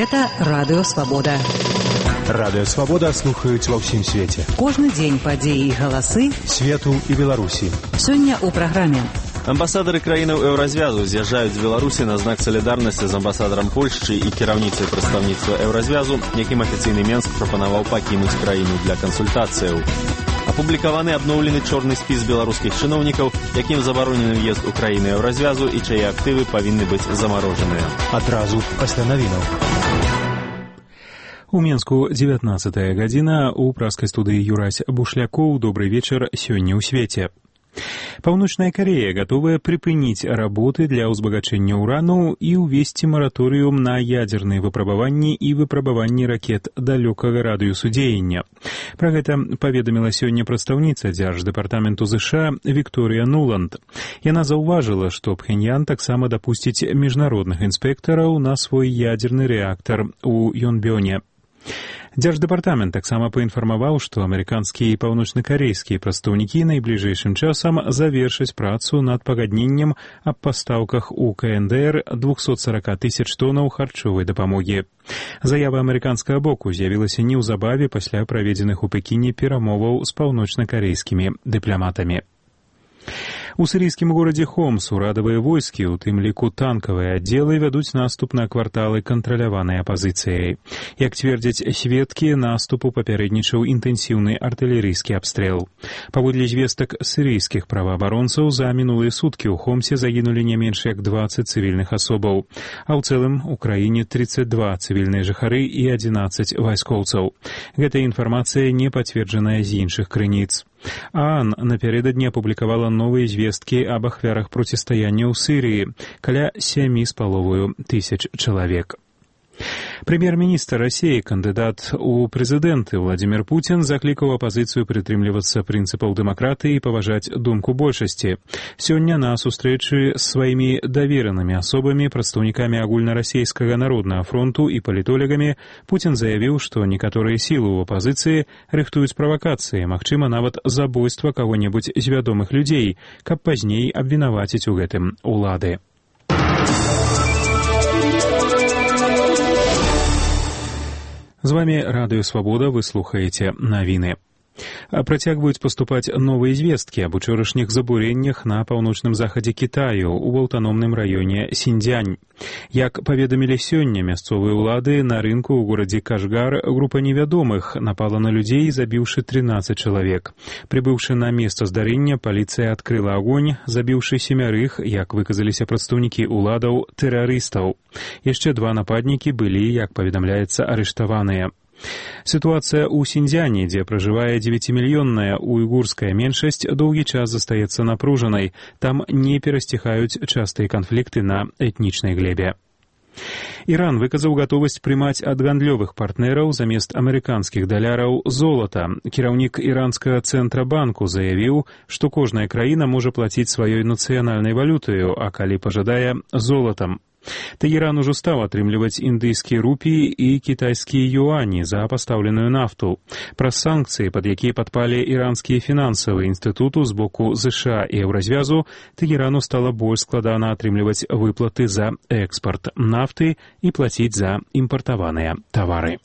Гэта Радыё Свабода. Радыё Свабода слухаюць ва ўсім свеце. Кожны дзень падзеі і галасы свету і Беларусі. Сёння ў праграме. Амбасадары краінаў Еўразвязу з'язджаюць з Беларусі на знак салідарнасці з амбасадарам Польшчы і кіраўніцай прадстаўніцтва Еўразвязу, якім афіцыйны Менск прапанаваў пакінуць краіну для кансультацыяў. Апублікаваны абноўлены чорны спіс беларускіх чыноўнікаў, якім забаронены ўезд у краіны Еўразвязу і чые актывы павінны быць замарожаныя. Адразу пасля навінаў. У Менску 19-я гадзіна, у праскай студыі Юрась Бушлякоў. Добрый вечер сёння ў свеце. Паўночная Корея готовая припыніць работы для ўзбагачэння урану і ўвесці мараторыум на ядзерныя выпрабаванні і выпрабаванні ракет далёкага радыусу дзеяння. Пра гэта паведаміла сёння прадстаўніца Дзярждэпартаменту ЗША Вікторыя Нуланд. Яна заўважыла, што Пхеньян таксама дапусціць міжнародных інспектараў на свой ядзерны рэактар у Йонбёне. Дзярждэпартамент таксама паінфармаваў, што амерыканскія і паўночнакарэйскія прадстаўнікі найбліжэйшым часам завершаць працу над пагадненнем аб пастаўках у КНДР 240 тысяч тоннаў харчовай дапамогі. Заява амерыканскага боку з'явілася неўзабаве пасля праведзеных у Пекіне перамоваў з паўночнакарэйскімі дыпламатамі. У сірійскім горадзе Хомс урадавыя войскі, у тым ліку танкавыя аддзелы, вядуць наступ на кварталы, кантраляванай апазіцыяй. Як цвердзяць сведкі, наступу папярэднічаў інтэнсіўны артылерыйскі абстрэл. Паводле звестак сірійскіх праваабаронцаў, за мінулыя суткі ў Хомсе загінулі не менш як 20 цывільных асобаў, а ў цэлым у краіне 32 цывільныя жыхары і 11 вайскоўцаў. Гэтая інфармацыя не пацверджаная з іншых крыніц. ААН напярэдадні апублікавала новыя звесткі аб ахвярах процістаяння ў Сірыі, каля 7,5 тысяч чалавек. Прэм'ер-міністр Расіі, кандыдат у прэзідэнты Владзімір Пуцін заклікаў апазіцыю прытрымлівацца прынцыпаў дэмакратыі і паважаць думку большасці. Сёння на сустрэчы з сваімі даверанымі асобамі, прадстаўнікамі агульнарасійскага народнага фронту і палітолегамі, Пуцін заявіў, што некаторыя сілы ў апазіцыі рыхтуюць правакацыі, магчыма, нават забойства каго-небудзь з вядомых людзей, каб пазней абвінаваціць у гэтым улады. З вами Радыё Свабода, вы слухаеце навіны. Працягваюць паступаць новыя звесткі аб учорашніх забурэннях на паўночным захадзе Кітаю ў аўтаномным раёне Сіньцзянь. Як паведамілі сёння мясцовыя ўлады, на рынку ў горадзе Кашгар група невядомых напала на людзей, забіўшы 13 чалавек. Прыбыўшы на месца здарэння, паліцыя адкрыла агонь, забіўшы 7, як выказаліся прадстаўнікі ўладаў, тэрарыстаў. Яшчэ 2 нападнікі былі, як паведамляецца, арыштаваныя. Сітуацыя ў Сіньцзяні, дзе пражывае 9-мільённая уйгурская меншасць, доўгі час застаецца напружанай. Там не перасціхаюць частыя канфлікты на этнічнай глебе. Іран выказаў гатовасць прымаць ад гандлёвых партнераў замест амерыканскіх даляраў золата. Кіраўнік іранскага цэнтрабанку заявіў, што кожная краіна можа плаціць сваёй нацыянальнай валютаю, а калі пажадае, золатам. Тэгеран ужо стаў атрымліваць індыйскія рупіі і кітайскія юані за пастаўленую нафту. Праз санкцыі, пад якія падпалі іранскія фінансавыя інстытуты з боку ЗША і Еўразвязу, Тэгерану стала больш складана атрымліваць выплаты за экспарт нафты і плаціць за імпартаваныя тавары.